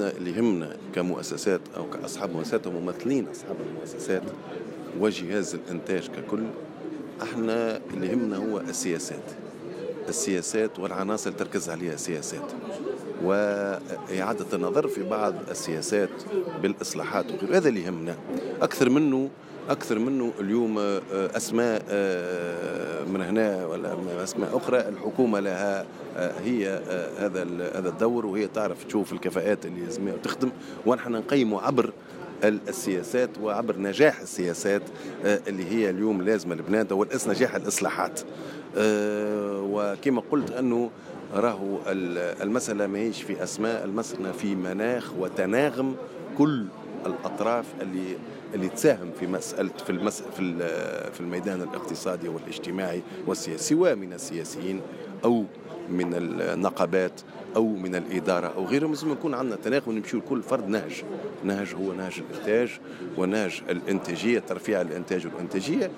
اللي يهمنا كمؤسسات او كاصحاب مؤسسات وممثلين اصحاب المؤسسات وجهاز الانتاج ككل، احنا اللي يهمنا هو السياسات، السياسات والعناصر تركز عليها السياسات، وإعادة النظر في بعض السياسات بالإصلاحات وغيره. هذا اللي يهمنا أكثر منه اليوم أسماء من هنا ولا أسماء أخرى. الحكومة لها هي هذا الدور، وهي تعرف تشوف الكفاءات اللي لازم تخدم، ونحن نقيم عبر السياسات وعبر نجاح السياسات اللي هي اليوم لازمه لبلادنا، والنجاح الاصلاحات. وكما قلت انه راهو المسالة ماهيش في اسماء، المسالة في مناخ وتناغم كل الاطراف اللي تساهم في مسالة في المس في في الميدان الاقتصادي والاجتماعي والسياسي، سواء من السياسيين او من النقابات او من الادارة او غيرهم. لازم يكون عندنا تناغم ونمشيو لكل فرد نهج، نهج هو نهج الانتاج ونهج الانتاجيه، ترفيع الانتاج والانتاجيه.